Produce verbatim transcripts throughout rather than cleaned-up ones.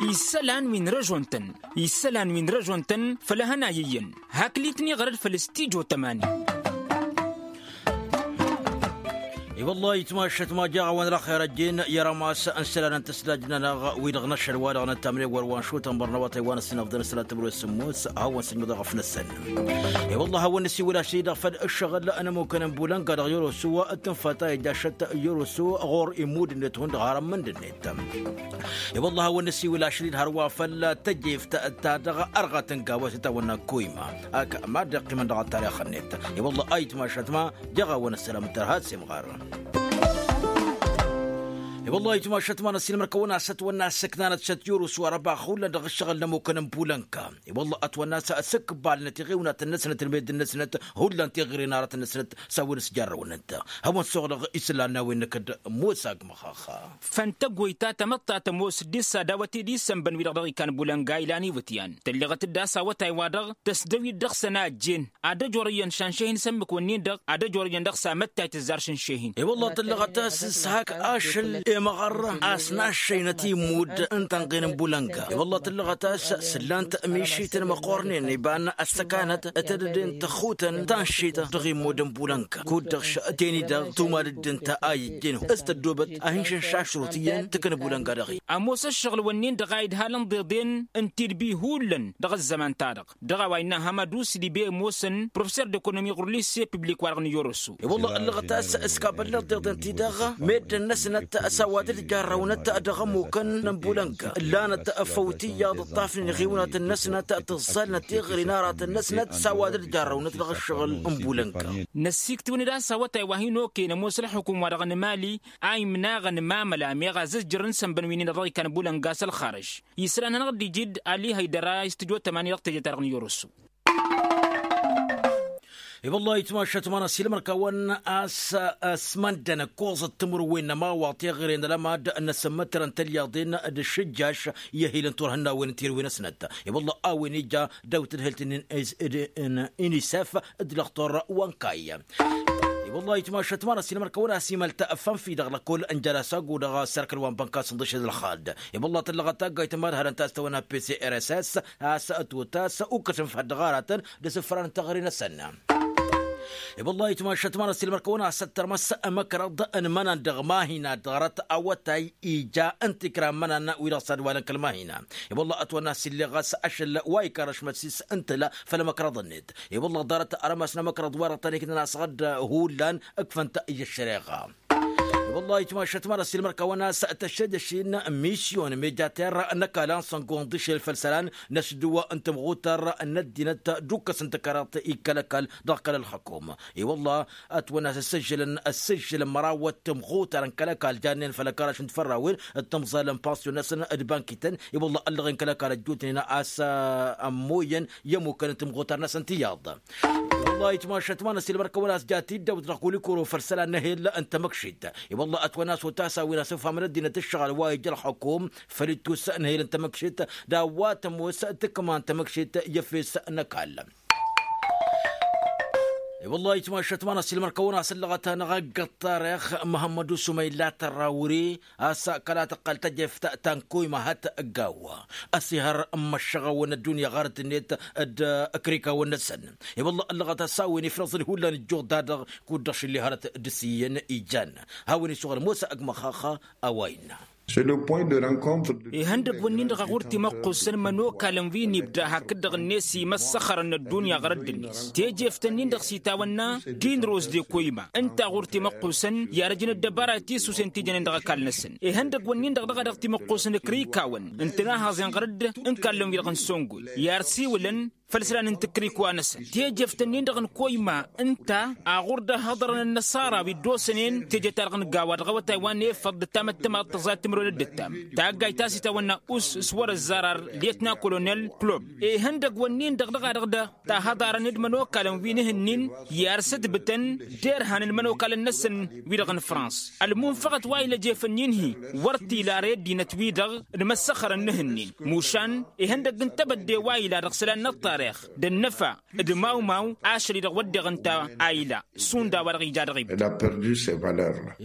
Isălan wi n-răžon-tăn isălan wi n-răžon-tăn făll-ehăn a iyyăn. Hakli-tăn iɣrăd făll-stijo tămani. I-wălla itmašăt ma jaɣ-a-wen ălxer ăjjeen i-rămas n-isălan n-tăslajt-nănăɣ wi-dăɣ n-ašăl wa-dăɣ n-ăttamnen wăr-wa n-šutăn bărnăwătăy wa n-ăssinăfḍăn s-ălatăbru s-sǝmmos. Hawăn-sǝjmǝdăɣ ăfnăsăn i-wălla hawăn-nǝsiwǝl ašăl-i-dăɣ făll-ǝššăɣǝl n-ămukăn n-bulănga dăɣ-yorosu. Ǝttǝnfăt a ija ašăt yorosu ɣur-immud-net hundăɣ har ămmǝnd-net. I-wălla hawăn-nǝsiwǝl ašăl-i-dăɣ hărwa făll-tăjeft ta dăɣ-ărɣăt n-gawa s-itawănna koyma ak mad-iqqimăn dăɣ-ăttarix-net. I-wălla a itmašăt ma jaɣ-a-wen ăssălam ǝntăr has-imɣar. I-wălla a itmašăt ma n-ăssiilmăr-kăwăn-asăt wănna ăssăknanăt šăt yurǝs wa răbax hullan dăɣ-ǝššăɣǝl n-ămukăn n-bulănka. I-wălla ătwănna a-s s-ǝkkǝbalnăt iɣiwnatăn-năsnăt d-meddǝn-năsnăt hullan tiɣiren aratăn-năsnăt s-a-wen s-jarrăwnăt. Hawăn-suɣ dăɣ-isǝllan n-a-wen n-kădd-mosa agmăxaxa. Făntăggoy ta tămăḍt ta tămoos dd-issadawăt tedis sănbăn wi-dăɣ dăɣ-ikan bulănga ilan iwǝtyan tălleɣăt-dd a-s awătay-wa-dăɣ tăsdăwit dăɣ-săn a ăjjeen. Ad-ăjorăyăn šanšehin s-ǝmmǝk-wǝnnin-dăɣ ad-ăjorăyăn dăɣ-s amăttay tǝzzar šǝnšehin. I-wălla tǝllăɣăt a-s s-hak ašăl i-măɣăr a-s naššăynăt immud n-tănɣen n-bulănga. I-wălla tǝllăɣăt a-s s-ǝllan-t mišităn măqqornen iba n-ăssăkanăt tedăden tăxutăn tanšit dăɣ-immud n-bulănga kud-dăɣ š-teni-dăɣ tumadǝd ǝnta a ijjin s-tăddoobăt a hin-šănšašrut iyyăn tǝknǝb ulănga dăɣ-i. Ămoos ăššăɣǝl-wǝnnin-dăɣ a idhalăn deḍen n-tidbi hullan dăɣ-ăzzăman-ta-dăɣ dăɣ-a-wa innă hamădus d-ibe ămoosăn professer d-ekonomi ɣur-lisse piblik-wa-dăɣ n-iyoroso. I-wălla ăllăɣăt a-s s-kabăllăɣ deḍen-ti-dăɣ meddǝn-năsnăt s-a-wa dd-jarrăwnăt dăɣ-ămmukăn n-bulănga ǝllanăt făw tiyyăḍ ǝṭṭafnen iɣiwnatăn-năsnăt tǝẓẓalnăt tiɣri n-aratăn-năsnăt s-a-wa dd-jarrăwnăt dăɣ-ǝššăɣǝl n-bulănga. Năssiiktǝwăn-dd a-s awătay wa hin-okăyăn ămoos ălxukum-wa-dăɣ n-mali a imnaɣăn mamăla meɣ azǝzjărăn s-ănbăn wi-nin-dăɣ dăɣ-ikan bulănga s-ălxarăž. Isălan-anăɣ dd-iji-dd ali hăydăra i-s tǝjot ămani dăɣ-teje-ta-dăɣ n-iyyăr-osu. I-wăllah itmašat ma n-asilmăr-kăwăn a-s ăsmăndăn ǝkkoẓăt timǝrwen n-ămawaḍ teɣăre n-alămad n-asǝmmǝtărăn tălyaḍen d-ašǝjjaš i-ehil n-turhǝnnawen n-tirǝwen-asnăt. I-wăllah a-wen ija dăw-tǝdhǝlt n-inisef d-lăxtor wa n-kayy. I-wăllah itmašat ma n-asilmăr-kăwăn a-s imăl tafănfi dăɣ-lăkkol n-jăla s-agu dăɣ-sărkăl wa n-bănkas n-dăšed ălxad. I-wăllah tǝllăɣăt taggayt n-imadhărăn ta s-tawănna pcrss a-s ătwăt a-s ukăsăn făddăɣ aratăn d-asǝfran n-teɣăre-năsăn. I-wăllah itmašat ma n-asilmăr-kăwăn a-s ăttărmăs ămăkrăḍ n-imănan dăɣ-mahina dăɣ-arăt awătay ija n-tikra n-imănan wi-dăɣ s-ad-walăn kăl-mahina. I-wăllah ătwănna a-s illeɣ a-s ašăl wa ikarrăš măssis n-tǝla făll-ămăkrăḍ-net. I-wăllah ḍarăt arămas n-amăkrăḍ-wa-dăɣ tăn-iknăn asɣăd hullan ǝkfăn-t i-ăššăreɣa. I-wăllah itmašat ma n-asilmăr-kăwăn a-s tăššăjăš-in misyon mejater n-ăkall a n-săngo n-iḍǝšel făll-isălan n-asǝdǝw n-tămɣutăr n-ăddinăt d-ukkăs n-tăkarăḍt ikkăl ăkall dăɣ-kăl-ălxăkum. I-wăllah ătwănna a-s ăssăžžălăn ăssăžžălăn măraw wăr tămɣutăr n-kăl-ăkall jannen făll-ăkall ašǝnt fărrawen d-tămẓalăn pansyon-năsăn d-bankităn. I-wăllah ăllăɣen kăl-ăkall ăjjootnen a-s ămmoyăn i-ămmukăn n-tămɣutăr-năsăn tiyyăḍ. I-wăllah itmašat ma n-asilmăr-kăwăn a-s ja tiddawt dăɣ-kulikuro făll-isălan n-ehel n-tamăkšit. I-wăllah ătwănna a-s otas a-wen asǝfham n-ăddinăt ǝššăɣǝl wa ija ălxukum făll-ittus n-ehel n-tamăkšit d-a-wa tămoos tǝkma n-tamăkšit i-efes n-ăkall. I-wăllah itmašat ma n-asilmăr-kăwăn a-s ǝllăɣăt-anăɣ ăgg-ăṭṭarix măhămmăd usuma illa tărrawri a-s kăla tăqqăl tăjeft ta n-koyma hăt gawa ăsihăr n-imăššăɣawăn ăddunya ɣarăt-net d-ǝkrikawăn-năsăn. I-wăllah ăllăɣăt a-s a-wen ifrăẓăn hullan ǝjjuɣ-da-dăɣ kud-dăɣ šilli hărăt d-asǝyyăn ijan. Hawăn-isuɣǝl mosa ăgg-măxaxa a-wa innă. Ihăndăgg-wǝnnin-dăɣ a ɣur-timăqqusăn imănokalăn wi n-ibda hakd-dăɣ-net imăssăxărăn n-ăddunya ɣărădd-net. Tejeft-nin-dăɣ s-itawănna dinros de koyma ǝnta a ɣur-timăqqusăn i-arăjăn ăddăbara tisusen ti jănen dăɣ-ăkall-năsăn. Ihăndăgg-wǝnnin-dăɣ dăɣ-a dăɣ-timăqqusăn ǝkrikawăn ǝntănahăẓen ɣărădd n-kallăn-wi-dăɣ n-săngoy i-arsiwǝlăn făll-isălan n-tǝkrikwa-năsăn. Tejeft-nin-dăɣ n-koyma ǝnta a ɣur-dd-ăhhăḍărăn ănnăṣara wi dd-osănen teje-ta-dăɣ n-gawa dăɣ-awătay wa n-efăḍ d-tamăttămaḍt tăẓayt timǝrwen d-ǝttam. Taggayt ta s-itawănna us s-wăr-ăzzar ar lyetna kolonel klob. Ihăndăgg-wǝnnin-dăɣ dăɣ-a-dăɣ da tahăḍarăn d-imănokalăn wi n-ehǝnnin i-arsǝtbǝtăn derhan n-imănokalăn-năsăn wi-dăɣ n-frans. Ălmunfăɣăt wa ila jefăn inhi wăr t-ila ar i-ăddinăt-wi-dăɣ d-imăssăxărăn n-ehǝnnin. Mušan ihăndăgg n-tebădde wa ila dăɣ-isălan n-ăṭṭar. ăṭṭeɣ d-ănnăfa d-mawmaw ašăl-i-dăɣ wădden ǝnta a ila šund a-wa-dăɣ ija dăɣ-ibda.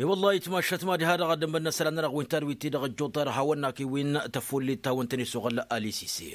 I-wălla itmašat mad-iha-dăɣ ad-ămmănna isălan-nănăɣ wi n-tadwit-ti-dăɣ ăjjoḍ-ta-dăɣ hawăn-nak-i wi n-tăfullit ta wăn-tăn-isuɣǝl alisisi.